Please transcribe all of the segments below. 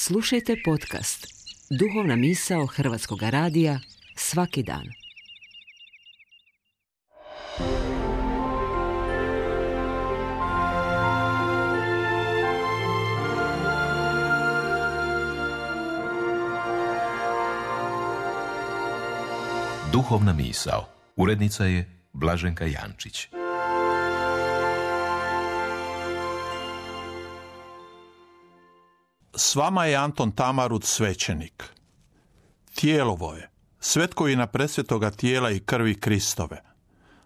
Slušajte podcast Duhovna misao Hrvatskog radija svaki dan. Duhovna misao. Urednica je Blaženka Jančić. S vama je Anton Tamarut, svećenik. Tijelovo je, svetkovina presvetoga tijela i krvi Kristove.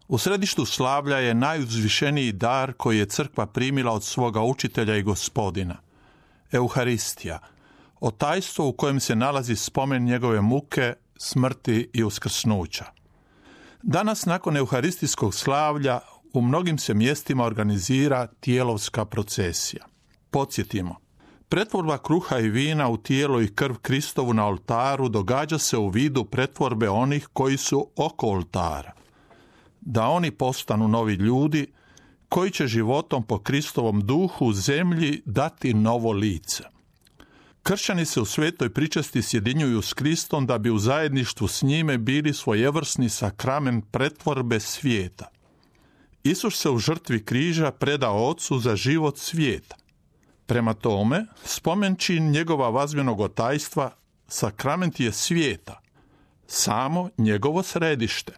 U središtu slavlja je najuzvišeniji dar koji je crkva primila od svoga učitelja i gospodina. Euharistija, o tajstvo u kojem se nalazi spomen njegove muke, smrti i uskrsnuća. Danas, nakon euharistijskog slavlja, u mnogim se mjestima organizira tijelovska procesija. Podsjetimo, pretvorba kruha i vina u tijelo i krv Kristovu na oltaru događa se u vidu pretvorbe onih koji su oko oltara. Da oni postanu novi ljudi koji će životom po Kristovom duhu zemlji dati novo lice. Kršćani se u svetoj pričesti sjedinjuju s Kristom da bi u zajedništvu s njime bili svojevrsni sakrament pretvorbe svijeta. Isus se u žrtvi križa predao Ocu za život svijeta. Prema tome, spomenčin njegova vazbenog tajstva, sakrament je svijeta, samo njegovo središte.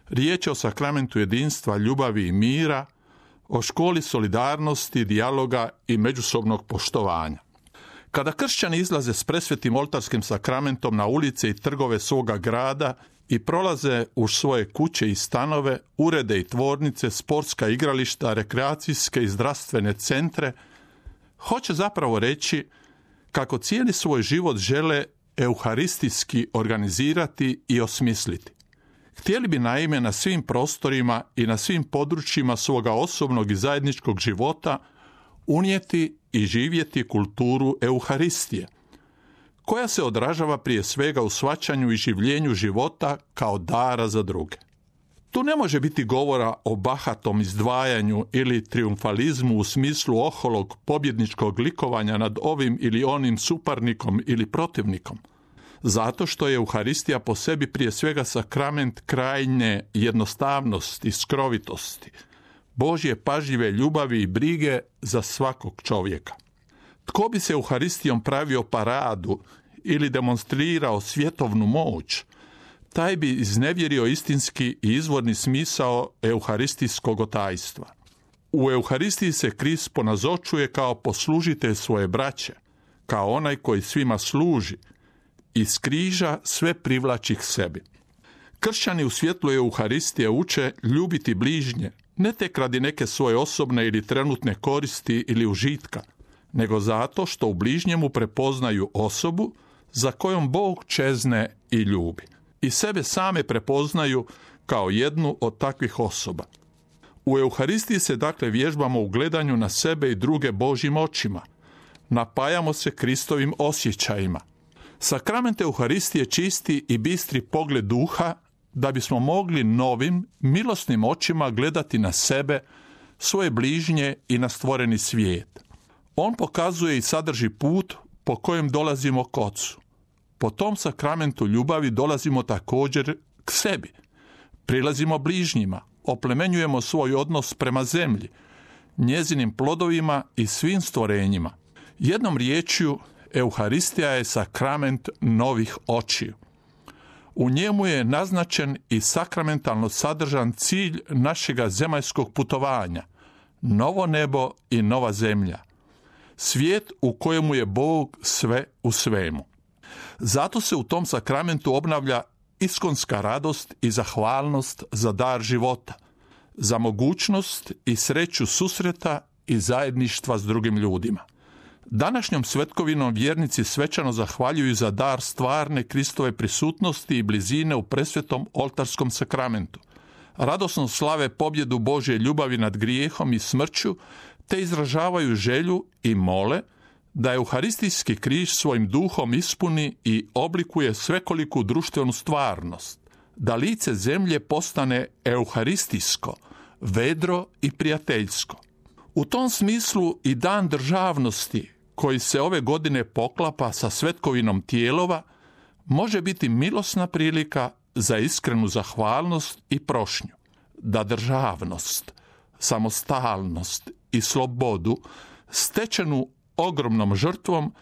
Riječ je o sakramentu jedinstva, ljubavi i mira, o školi solidarnosti, dijaloga i međusobnog poštovanja. Kada kršćani izlaze s presvetim oltarskim sakramentom na ulice i trgove svoga grada i prolaze u svoje kuće i stanove, urede i tvornice, sportska igrališta, rekreacijske i zdravstvene centre, hoće zapravo reći kako cijeli svoj život žele euharistijski organizirati i osmisliti. Htjeli bi naime na svim prostorima i na svim područjima svoga osobnog i zajedničkog života unijeti i živjeti kulturu Euharistije, koja se odražava prije svega u shvaćanju i življenju života kao dara za druge. Tu ne može biti govora o bahatom izdvajanju ili triumfalizmu u smislu oholog pobjedničkog likovanja nad ovim ili onim suparnikom ili protivnikom, zato što je Euharistija po sebi prije svega sakrament krajnje jednostavnosti i skrovitosti, Božje pažljive ljubavi i brige za svakog čovjeka. Tko bi se Euharistijom pravio paradu ili demonstrirao svjetovnu moć, taj bi iznevjerio istinski i izvorni smisao euharistijskog tajstva. U Euharistiji se Krist ponazočuje kao poslužitelj svoje braće, kao onaj koji svima služi i s križa sve privlači k sebi. Kršćani u svjetlu Euharistije uče ljubiti bližnje, ne tek radi neke svoje osobne ili trenutne koristi ili užitka, nego zato što u bližnjemu prepoznaju osobu za kojom Bog čezne i ljubi. I sebe same prepoznaju kao jednu od takvih osoba. U Euharistiji se dakle vježbamo u gledanju na sebe i druge Božjim očima. Napajamo se Kristovim osjećajima. Sakrament Euharistije čisti i bistri pogled duha da bismo mogli novim, milosnim očima gledati na sebe, svoje bližnje i na stvoreni svijet. On pokazuje i sadrži put po kojem dolazimo k Ocu. Po tom sakramentu ljubavi dolazimo također k sebi. Prilazimo bližnjima, oplemenjujemo svoj odnos prema zemlji, njezinim plodovima i svim stvorenjima. Jednom riječju, Euharistija je sakrament novih očiju. U njemu je naznačen i sakramentalno sadržan cilj našega zemaljskog putovanja, novo nebo i nova zemlja, svijet u kojemu je Bog sve u svemu. Zato se u tom sakramentu obnavlja iskonska radost i zahvalnost za dar života, za mogućnost i sreću susreta i zajedništva s drugim ljudima. Današnjom svetkovinom vjernici svečano zahvaljuju za dar stvarne Kristove prisutnosti i blizine u presvetom oltarskom sakramentu. Radosno slave pobjedu Božje ljubavi nad grijehom i smrću, te izražavaju želju i mole da euharistijski križ svojim duhom ispuni i oblikuje svekoliku društvenu stvarnost, da lice zemlje postane euharistijsko, vedro i prijateljsko. U tom smislu i dan državnosti, koji se ove godine poklapa sa svetkovinom Tijelova, može biti milosna prilika za iskrenu zahvalnost i prošnju, da državnost, samostalnost i slobodu stečenu ogromnom žrtvom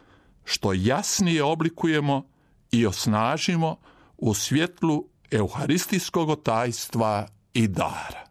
što jasnije oblikujemo i osnažimo u svjetlu euharistijskog tajstva i dara.